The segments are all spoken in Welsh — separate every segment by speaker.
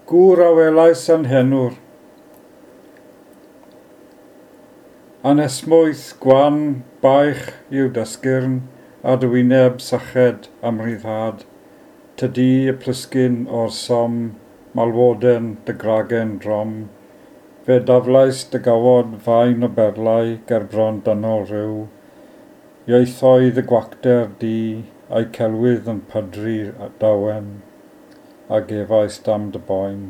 Speaker 1: Gŵr a welais yn henwr. Anesmwyth gwan baich i'w dysgyrn a dy wyneb syched am ryddhad. Tydi y plisgyn o'r som, malwoden dy gragen drom. Fe daflais dy gawod fain o berlau gerbron dynol rhyw. Ieithoedd y gwacter di a'i celwydd yn pydru dawen a gefais dam dy boen.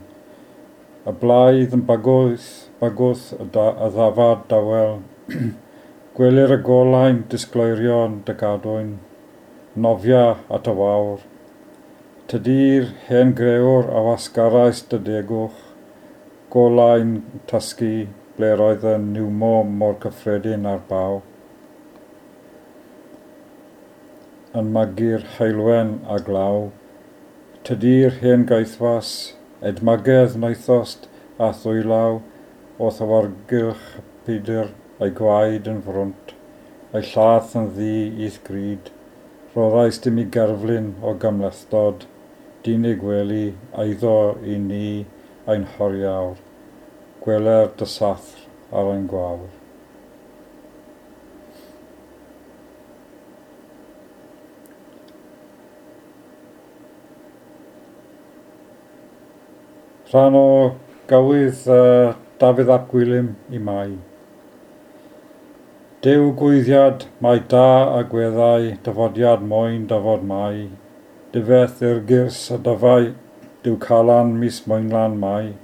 Speaker 1: Y blaidd yn bygwth, bygwth y, da, y ddafad dawel. Gwelir y golau'n disgleirio'n dy gadwyn. Nofia at y wawr. Tydi'r hen grewr a wasgarais dy degwch. Golau'n tasgu ble roedd y niwmo mor cyffredin ar baw. Yn magu'r heulwen a glaw. Tydi'r hen gaethwas, edmygedd wnaethost a thwylaw o'th awargylch Pedr a'i gwaed yn frwnt, a'i llath yn ddu i'th gryd. Rhoddais dim i gerflun o gymhlethdod, dyn ei gwely, eiddo i ni ein horiawr. Gweler dy sathr ar ein gwawr. Rhan o gywydd Dafydd ap Gwilym i Mai. Duw gweithiad, mae da a gweddau, dyfodiad moyn dyfod mai. Difeth irgyrs a dyfau, Duw calan mis moenlan mai.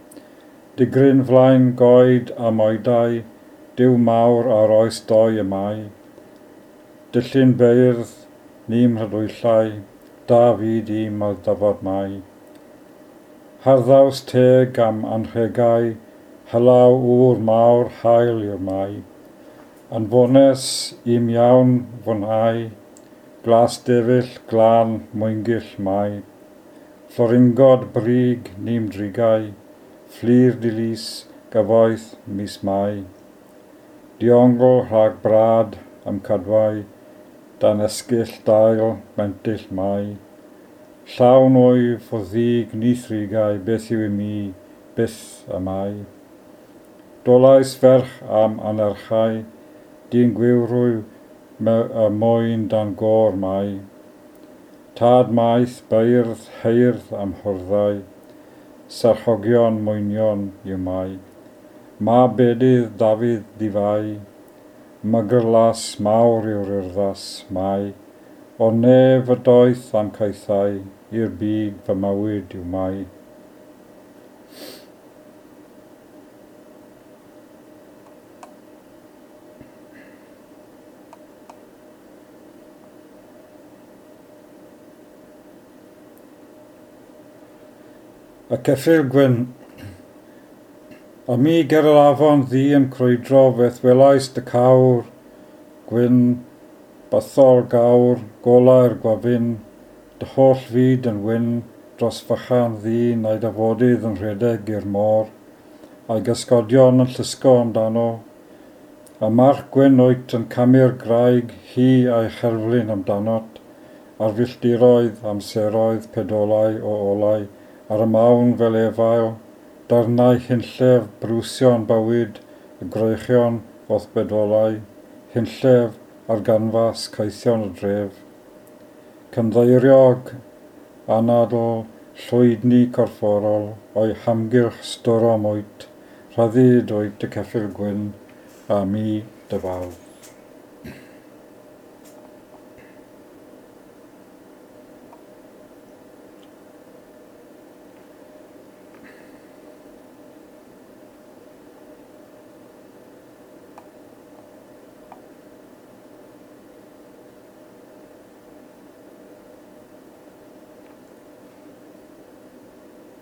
Speaker 1: Digryn flaen goed a moedau, Duw mawr ar oes doi y mai. Dillyn beirdd, nim rhydwyllau, da fyd im oedd dyfod mai. Harddaws teg am anrhegau, hylaw ŵr mawr hael i'r mai. Anfones i'm iawn fwynhau, glas defyll glân mwyngyll mai. Floringod brig nim drigau, fflir dilys gyfoeth mis Mai. Diongl rhag brad am cadwau, dan esgyll dail mentyll mai. Llawn wyf o ddig ni thrigau, beth yw i mi, byth y mai. Dolais ferch am anerchau, dyn gwywrwy y mwyn dan gôr mai. Tad maeth beirdd heirdd am hwrddau, serchogion mwynion yw mai. Mab bedydd Dafydd ddifai, mygrlas mawr yw'r urddas mai. O nef y doeth am caethau, i'r byd fy mywyd yw mai. Y ceffyl gwyn. A mi ger yr afon ddu yn crwydro fe'th welais dy cawr gwyn, bythol gawr, golau'r gwafyn, dy holl fyd yn wyn, dros fychan ddyn a'i dafodydd yn rhedeg i'r môr, a'i gysgodion yn llusgo amdano. A march gwyn wyt yn camu'r graig, hi a'i cherflun amdanot, ar filltiroedd, amseroedd, pedolau o olau, ar y mawn fel efail, darnau hunllef, brwsion bywyd, y gwreichion o'th bedolau, hunllef ar ganfas caethion y dref. Cynddeiriog, anadl, llwydni corfforol, o'i hamgylch storom wyt, rhyddid wyt y ceffyl gwyn, a mi dy fawr.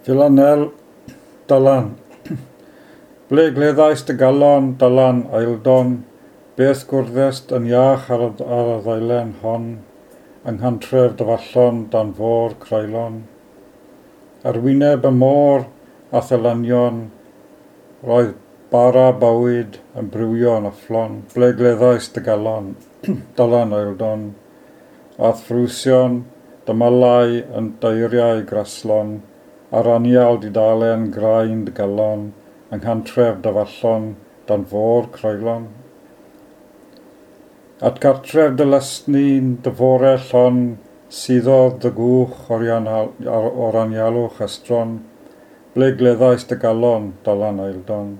Speaker 1: Villanelle, Dylan. Ble gleddais dy galon, Dylan, Aildon, beth gwrddest yn iach ar y, ar y ddailen hon, yng nghantref dyfallon dan fôr creulon. Ar wyneb y môr a thelanion, roedd bara bywyd yn brywio'n yfflon, ble gleddais dy galon, Dylan Aildon, a'th frwsion, dymalau yn dairiau graslon, Ar anial dudalen graen dy galon, yng nghantref dyfallon, dan fôr creulon. At gartref dy lysni'n dy fore llon, suddodd dy gwch o'r anialwch estron, ble gleddais dy galon, dalan aildon.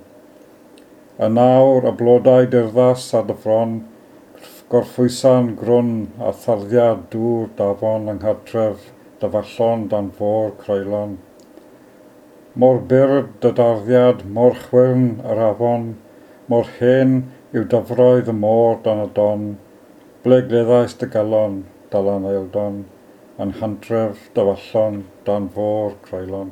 Speaker 1: A nawr y blodau dirddas ar dy fron, gorffwysan grwn a tharddiad dŵr dafon yng nghartref dyfallon dan fôr creulon. Mor byr dy darddiad, mor chwyrn yr afon, mor hen yw dyfroedd y môr dan y don, ble gleddais dy galon, dalan aildon, yn hantref dyfallon dan fôr creulon.